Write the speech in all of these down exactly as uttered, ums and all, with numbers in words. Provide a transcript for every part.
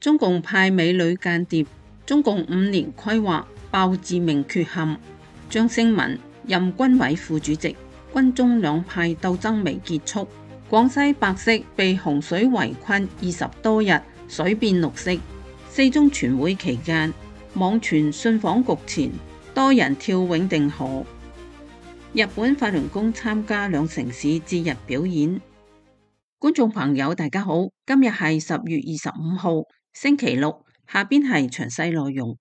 中共派美女間諜，中共五年規劃爆致命缺陷。張星文任軍委副主席，軍中兩派鬥爭未結束。廣西百色被洪水圍困二十多日，水變綠色。四中全會期間，網傳信訪局前多人跳永定河。日本法輪功參加兩城市節日表演。觀眾朋友大家好，今日係十月二十五號星期六，下邊係詳細內容。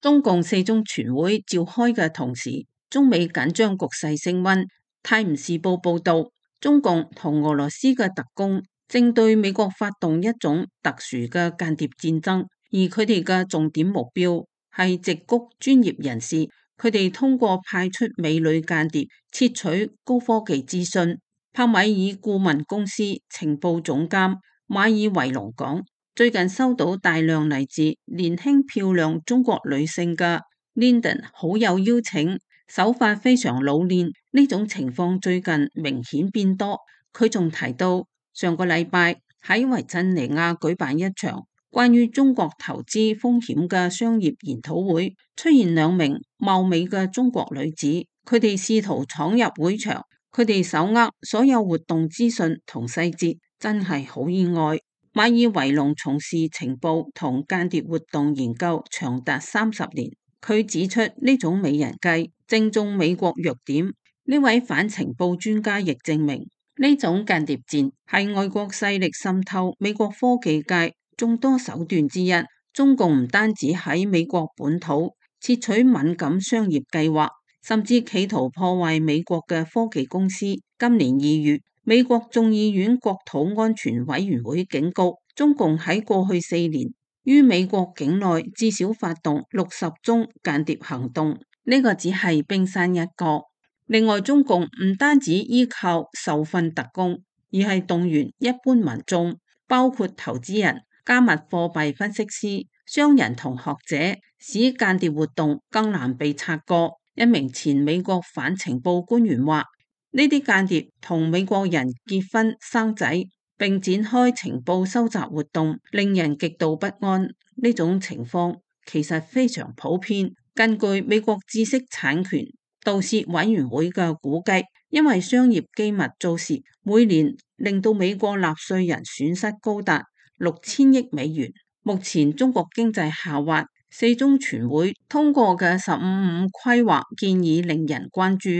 中共四中全會召開嘅同時，中美緊張局勢升溫。泰晤士報報道，中共同俄羅斯嘅特工正對美國發動一種特殊嘅間諜戰爭，而佢哋嘅重點目標係矽谷專業人士，佢哋通過派出美女間諜竊取高科技資訊。帕米爾顧問公司情報總監馬爾維龍講，最近收到大量嚟自年輕漂亮中國女性嘅 LinkedIn 好友邀請，手法非常老練，呢種情況最近明顯變多。佢仲提到，上個禮拜喺維珍尼亞舉辦一場關於中國投資風險嘅商業研討會，出現兩名貌美嘅中國女子，佢哋試圖闖入會場。佢哋手握所有活動資訊同細節，真係好意外。馬爾維龍從事情報同間諜活動研究長達三十年，佢指出呢種美人計正中美國弱點。呢位反情報專家亦證明，呢種間諜戰係外國勢力滲透美國科技界眾多手段之一。中共唔單止喺美國本土竊取敏感商業計劃，甚至企圖破壞美國嘅科技公司。今年二月，美國眾議院國土安全委員會警告，中共喺過去四年於美國境內至少發動六十宗間諜行動，呢個只係冰山一角。另外，中共唔單止依靠受訓特工，而係動員一般民眾，包括投資人、加密貨幣分析師、商人同學者，使間諜活動更難被察覺。一名前美國反情報官員話，呢啲間諜同美國人結婚生仔，並展開情報收集活動，令人極度不安。呢種情況其實非常普遍。根據美國知識產權盜竊委員會嘅估計，因為商業機密遭竊，每年令到美國納稅人損失高達六千億美元。目前中國經濟下滑，四中全會通過嘅十五五規劃建議令人關注。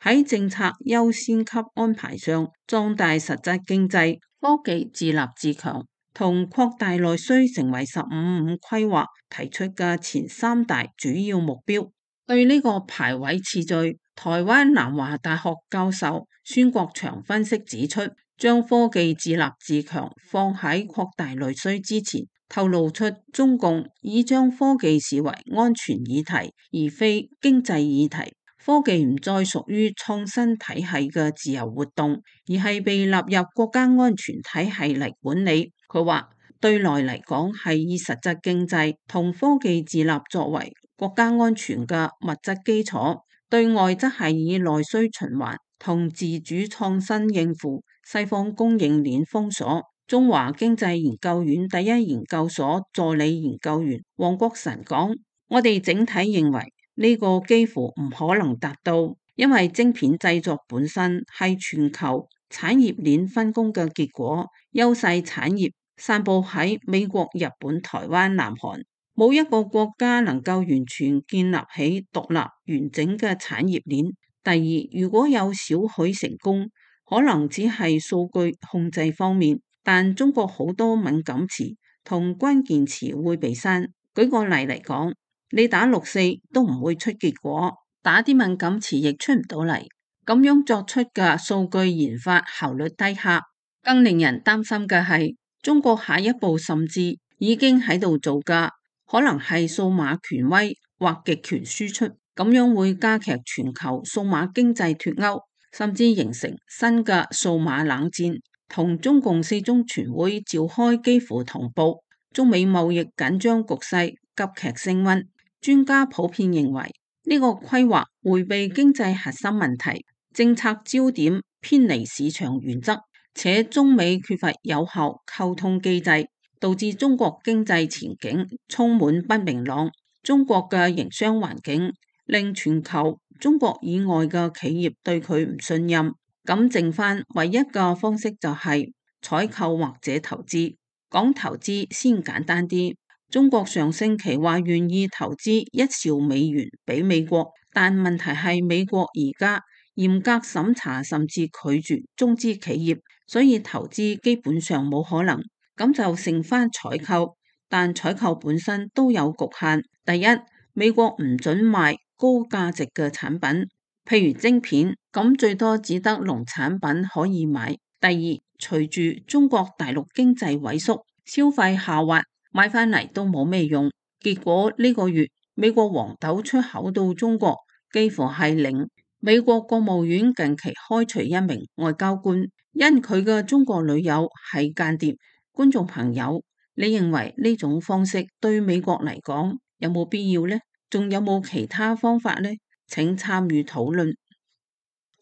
喺政策優先級安排上，壯大實質經濟、科技自立自強同擴大內需成為十五五規劃提出嘅前三大主要目標。對呢個排位次序，台灣南華大學教授孫國祥分析指出，將科技自立自強放喺擴大內需之前，透露出中共已將科技視為安全議題，而非經濟議題。科技唔再屬於創新體系嘅自由活動，而係被納入國家安全體系嚟管理。佢話，對內嚟講係以實質經濟同科技自立作為國家安全嘅物質基礎，對外則係以內需循環同自主創新應付西方供應鏈封鎖。中華經濟研究院第一研究所助理研究員黃國臣講，我哋整體認為呢個幾乎唔可能達到，因為晶片製作本身係全球產業鏈分工嘅結果，優勢產業散佈喺美國、日本、台灣、南韓，冇一個國家能夠完全建立起獨立完整嘅產業鏈。第二，如果有少許成功，可能只係數據控制方面，但中國好多敏感詞同關鍵詞會被刪。舉個例嚟講，你打六四都唔會出結果，打啲敏感詞亦出唔到嚟，咁樣作出嘅數據研發效率低下。更令人擔心嘅係，中國下一步甚至已經喺度做嘅，可能係數碼權威或極權輸出，咁樣會加劇全球數碼經濟脫鉤，甚至形成新嘅數碼冷戰。同中共四中全會召開幾乎同步，中美貿易緊張局勢急劇升溫。專家普遍認為，呢個規劃迴避經濟核心問題，政策焦點偏離市場原則，且中美缺乏有效溝通機制，導致中國經濟前景充滿不明朗。中國嘅營商環境令全球中國以外嘅企業對佢唔信任，咁剩翻唯一嘅方式就係採購或者投資。講投資先簡單啲，中國上星期話願意投資一兆美元俾美國，但問題係美國而家嚴格審查甚至拒絕中資企業，所以投資基本上冇可能。咁就剩翻採購，但採購本身都有局限。第一，美國唔准賣高價值嘅產品，譬如晶片，咁最多只得農產品可以買。第二，隨住中國大陸經濟萎縮，消費下滑，買翻嚟都冇咩用。結果呢個月美國黃豆出口到中國幾乎係零。美國國務院近期開除一名外交官，因佢嘅中國女友係間諜。觀眾朋友，你認為呢種方式對美國嚟講有冇必要呢？仲有冇其他方法呢？請參與討論。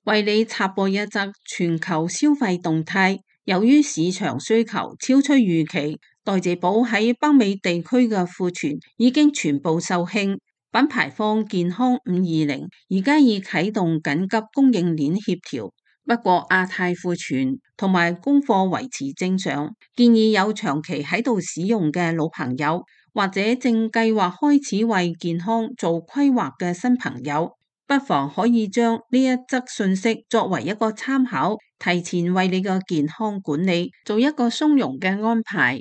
為你插播一則全球消費動態，由於市場需求超出預期，代謝寶喺北美地區嘅庫存已經全部售罄。品牌方健康五二零而家已啟動緊急供應鏈協調，不過亞太庫存同埋供貨維持正常。建議有長期喺度使用嘅老朋友，或者正計劃開始為健康做規劃嘅新朋友，不妨可以將呢一則信息作為一個參考，提前為你嘅健康管理做一個鬆容嘅安排。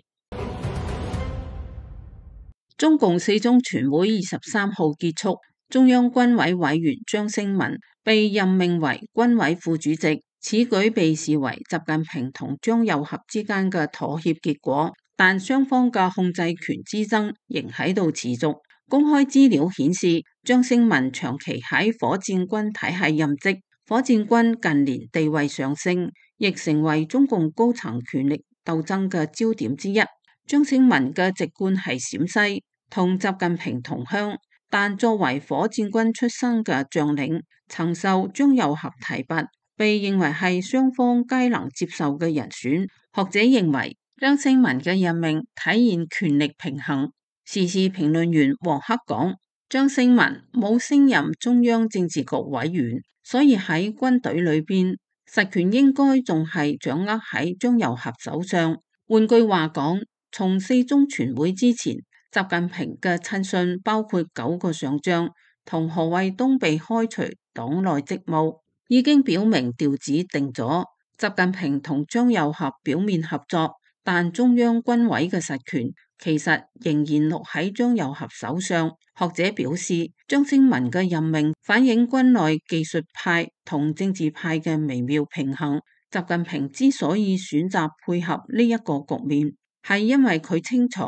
中共四中全會二十三號結束，中央軍委委員張勝文被任命為軍委副主席。此舉被視為習近平同張又俠之間嘅妥協結果，但雙方嘅控制權之爭仍喺度持續。公開資料顯示，張勝文長期喺火箭軍體系任職，火箭軍近年地位上升，亦成為中共高層權力鬥爭嘅焦點之一。張勝文嘅籍貫係陝西，同習近平同鄉，但作為火箭軍出身嘅將領，曾受張又俠提拔，被認為係雙方皆能接受嘅人選。學者認為張勝文嘅任命體現權力平衡。時事評論員黃克講，張勝文冇升任中央政治局委員，所以喺軍隊裏邊實權應該仲係掌握喺張又俠手上。換句話講，從四中全會之前，習近平嘅親信包括九個上將同何衛東被開除黨內職務，已經表明調子定咗。習近平同張又俠表面合作，但中央軍委嘅實權其實仍然落喺張又俠手上。學者表示，張勝文嘅任命反映軍內技術派同政治派嘅微妙平衡。習近平之所以選擇配合呢一個局面，係因為佢清楚，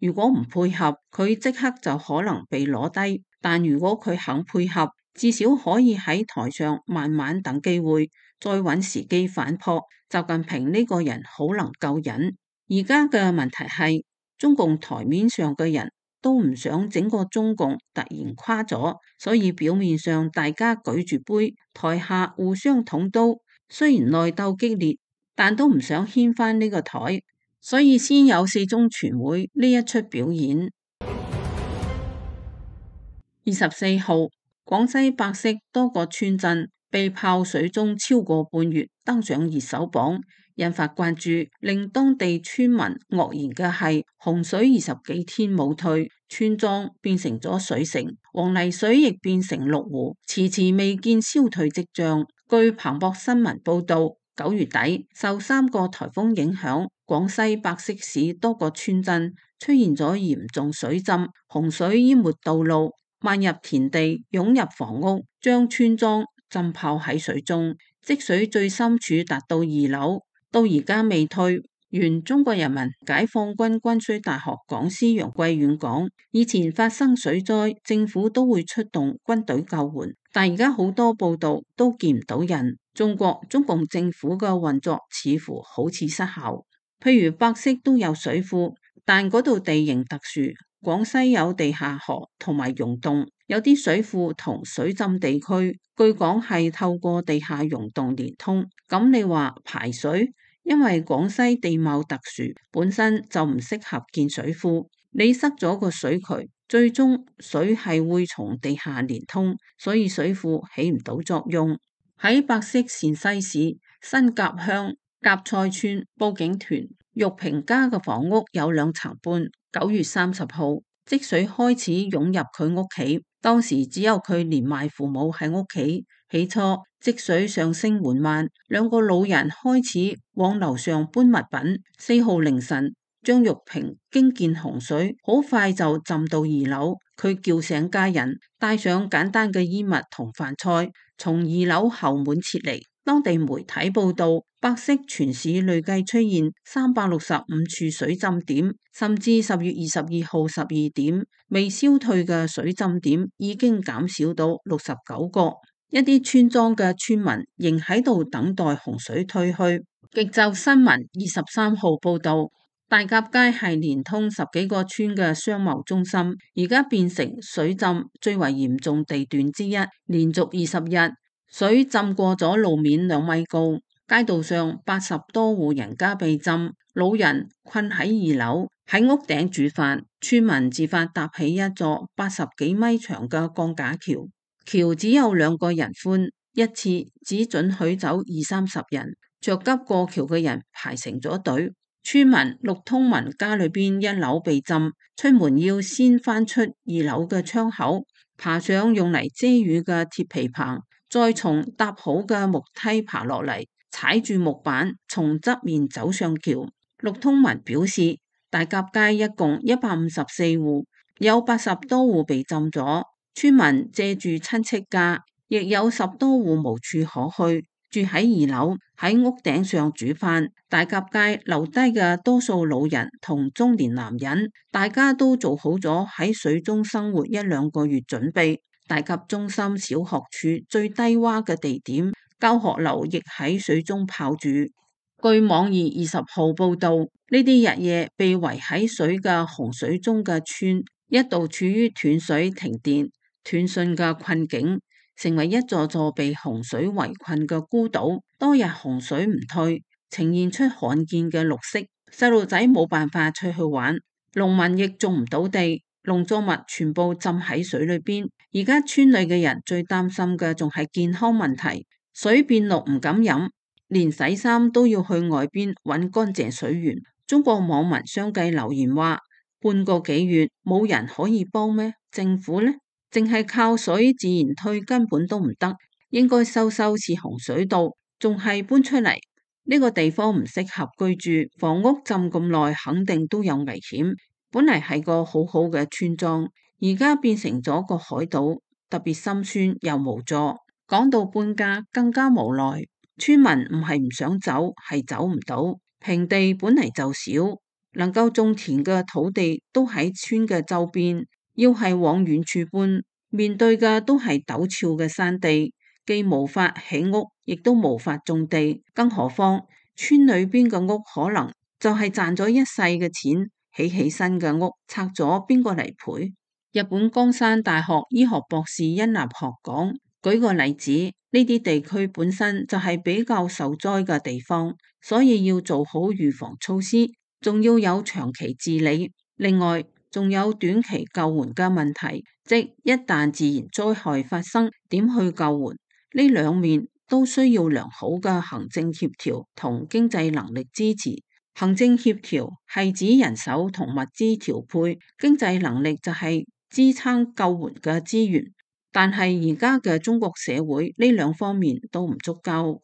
如果唔配合，佢即刻就可能被攞低。但如果佢肯配合，至少可以喺台上慢慢等機會，再揾時機反撲。習近平呢個人好能夠忍。而家嘅問題係，中共台面上嘅人都唔想整個中共突然垮咗，所以表面上大家舉住杯，台下互相捅刀。雖然內鬥激烈，但都唔想掀翻呢個台，所以先有四中全會呢一出表演。二十四號，廣西百色多個村鎮被泡水中超過半月，登上熱搜榜，引發關注。令當地村民愕然嘅係，洪水二十幾天冇退，村莊變成咗水城，黃泥水亦變成綠湖，遲遲未見消退跡象。據彭博新聞報道，九月底受三個颱風影響，廣西百色市多個村鎮出現咗嚴重水浸，洪水淹沒道路，漫入田地，湧入房屋，將村莊浸泡喺水中，積水最深處達到二樓，到而家未退。原中國人民解放軍軍需大學講師楊貴遠講，以前發生水災，政府都會出動軍隊救援，但而家好多報道都見唔到人。中國中共政府嘅運作似乎好似失效。譬如百色都有水庫，但嗰度地形特殊，廣西有地下河同埋溶洞，有啲水庫同水浸地區據講係透過地下溶洞連通。咁你話排水因為廣西地貌特殊，本身就唔適合建水庫。你塞咗個水渠，最終水係會從地下連通，所以水庫起唔到作用。喺百色陝西市新甲鄉甲菜村，報警團玉平家嘅房屋有兩層半，九月三十號積水開始湧入佢屋企，當時只有佢連埋父母喺屋企。起初積水上升緩慢，兩個老人開始往樓上搬物品。四號凌晨，張玉平驚見洪水，好快就浸到二樓。佢叫醒家人，帶上簡單嘅衣物同飯菜，從二樓後門撤離。當地媒體報道，百色全市累計出現三百六十五處水浸點，甚至十月二十二號十二點，未消退嘅水浸點已經減少到六十九個。一啲村莊嘅村民仍喺度等待洪水退去。極晝新聞二十三號報道，大甲街係連通十幾個村嘅商貿中心，而家變成水浸最為嚴重地段之一，連續二十日水浸過咗路面兩米高，街道上八十多戶人家被浸，老人困喺二樓，喺屋頂煮飯，村民自發搭起一座八十幾米長嘅鋼架橋。橋只有兩個人寬，一次只准許走二三十人，着急過橋嘅人排成咗隊。村民陸通文家裏邊一樓被浸，出門要先翻出二樓嘅窗口，爬上用嚟遮雨嘅鐵皮棚，再從搭好嘅木梯爬落嚟，踩住木板從側面走上橋。陸通文表示，大甲街一共一百五十四戶，有八十多戶被浸咗。村民借住親戚家，亦有十多戶無處可去，住喺二樓，喺屋頂上煮飯。大甲街留低嘅多數老人同中年男人，大家都做好咗喺水中生活一兩個月準備。大甲中心小學處最低洼嘅地點，教學樓亦喺水中泡住。據網易二十號報道，呢啲日夜被圍喺水嘅洪水中嘅村，一度處於斷水停電斷訊嘅困境，成為一座座被洪水圍困嘅孤島。多日洪水唔退，呈現出罕見嘅綠色，細路仔冇辦法出去玩，農民亦種唔到地，農作物全部浸喺水裏邊。而家村裏嘅人最擔心嘅仲係健康問題，水變綠唔敢飲，連洗衫都要去外邊揾乾淨水源。中國網民相繼留言話，半個幾月冇人可以幫咩？政府呢？淨係靠水自然退根本都唔得，應該收收似洪水道，仲係搬出嚟。呢個地方唔適合居住，房屋浸咁耐肯定都有危險。本嚟係個好好嘅村莊，而家變成咗個海島，特別心酸又無助。講到搬家更加無奈，村民唔係唔想走，係走唔到。平地本嚟就少，能夠種田嘅土地都喺村嘅周邊。要係往遠處搬，面對嘅都係陡峭嘅山地，既無法起屋，亦都無法種地，更何況村裏邊嘅屋可能就係賺咗一世嘅錢起起身嘅屋，拆咗邊個嚟賠？日本江山大學醫學博士殷立學講，舉個例子，呢啲地區本身就係比較受災嘅地方，所以要做好預防措施，仲要有長期治理。另外仲有短期救援嘅問題，即一旦自然災害發生，點去救援？呢兩面都需要良好嘅行政協調同經濟能力支持。行政協調係指人手同物資調配，經濟能力就係支撐救援嘅資源。但係而家嘅中國社會呢兩方面都唔足夠。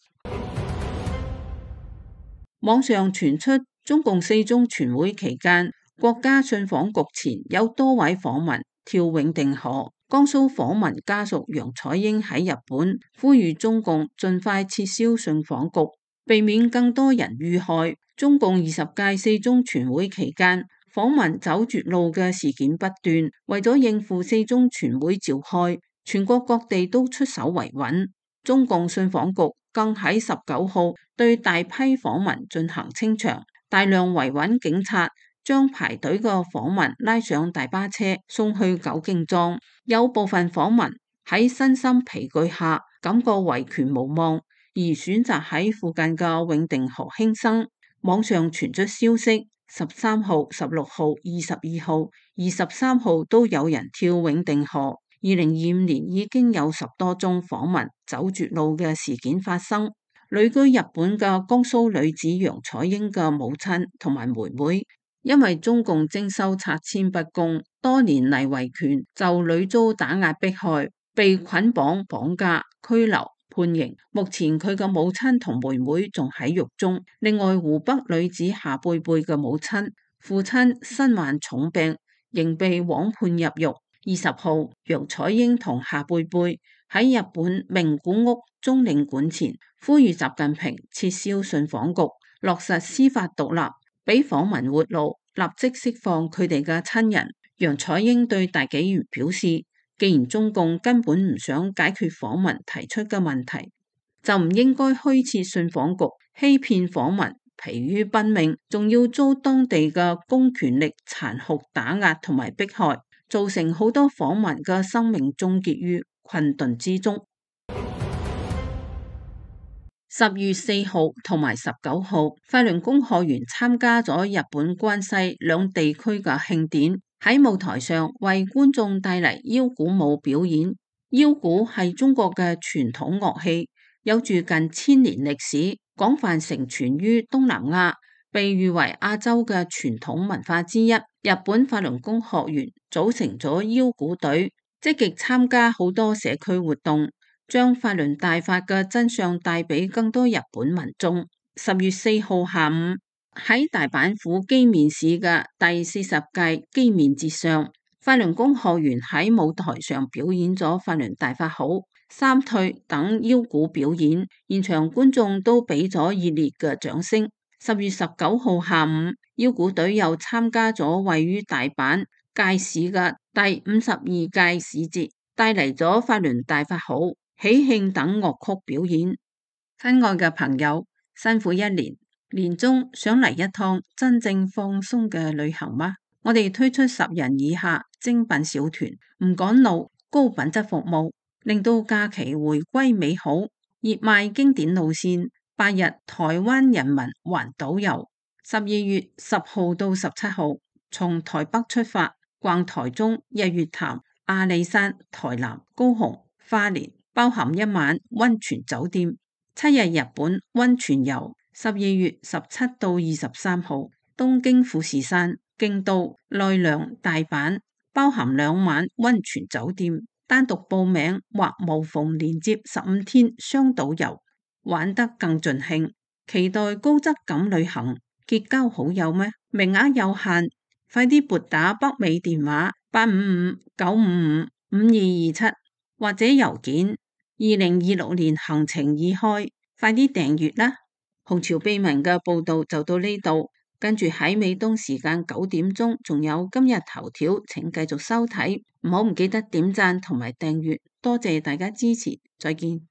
網上傳出中共四中全會期間，國家信訪局前有多位訪民跳永定河。江蘇訪民家屬楊彩英喺日本呼籲中共盡快撤銷信訪局，避免更多人遇害。中共二十屆四中全會期間，訪民走絕路嘅事件不斷，為咗應付四中全會召開，全國各地都出手維穩。中共信訪局更喺十九號對大批訪民進行清場，大量維穩警察將排隊嘅訪民拉上大巴車送去九敬莊。有部分訪民喺身心疲倦下感覺維權無望，而選擇喺附近嘅永定河輕生。網上傳出消息，十三號、十六號、二十二號、二十三號都有人跳永定河。二零二五年已經有十多宗訪民走絕路嘅事件發生。旅居日本嘅江蘇女子楊彩英嘅母親同埋妹妹，因為中共徵收拆遷不公，多年嚟維權，就屢遭打壓迫害，被捆綁、綁架、拘留、判刑。目前佢嘅母親同妹妹仲喺獄中。另外，湖北女子夏貝貝嘅母親、父親身患重病，仍被枉判入獄。二十號，楊彩英同夏貝貝喺日本名古屋中領館前呼籲習近平撤銷信訪局，落實司法獨立，俾訪民活路，立即釋放佢哋嘅親人。楊彩英對大紀元表示，既然中共根本唔想解決訪民提出嘅問題，就唔應該虛設信訪局，欺騙訪民，疲於奔命，仲要遭當地嘅公權力殘酷打壓同埋迫害，造成好多訪民嘅生命終結於困頓之中。十月四號同埋十九號，法輪功學員參加咗日本關西兩地區嘅慶典，喺舞台上為觀眾帶嚟腰鼓舞表演。腰鼓係中國嘅傳統樂器，有住近千年歷史，廣泛承傳於東南亞，被譽為亞洲嘅傳統文化之一。日本法輪功學員組成咗腰鼓隊，積極參加好多社區活動，將法輪大法嘅真相帶俾更多日本民眾。十月四號下午，喺大阪府箕面市嘅第四十屆箕面節上，法輪功學員喺舞台上表演咗法輪大法好、三退等腰鼓表演，現場觀眾都俾咗熱烈嘅掌聲。十月十九號下午，腰鼓隊又參加咗位於大阪堺市嘅第五十二屆市節，帶嚟咗法輪大法好、喜慶等樂曲表演。親愛嘅朋友，辛苦一年，年終想嚟一趟真正放鬆嘅旅行嗎？我哋推出十人以下精品小團，唔趕路，高品質服務，令到假期回歸美好。熱賣經典路線，八日台灣人民環島遊，十二月十號到十七號，從台北出發，逛台中、日月潭、阿里山、台南、高雄、花蓮，包含一晚溫泉酒店，七日日本溫泉遊。十二月十七到二十三號，東京富士山、京都、奈良、大阪，包含兩晚溫泉酒店。單獨報名或無縫連接十五天雙島遊，玩得更盡興。期待高質感旅行，結交好友咩？名額有限，快啲撥打北美電話八五五九五五五二二七或者郵件二零二六年行程已開，快啲訂閱啦！紅潮秘聞嘅報道就到呢度，跟住喺美東時間九點鐘仲有今日頭條，請繼續收睇，唔好唔記得點讚同埋訂閱，多謝大家支持，再見。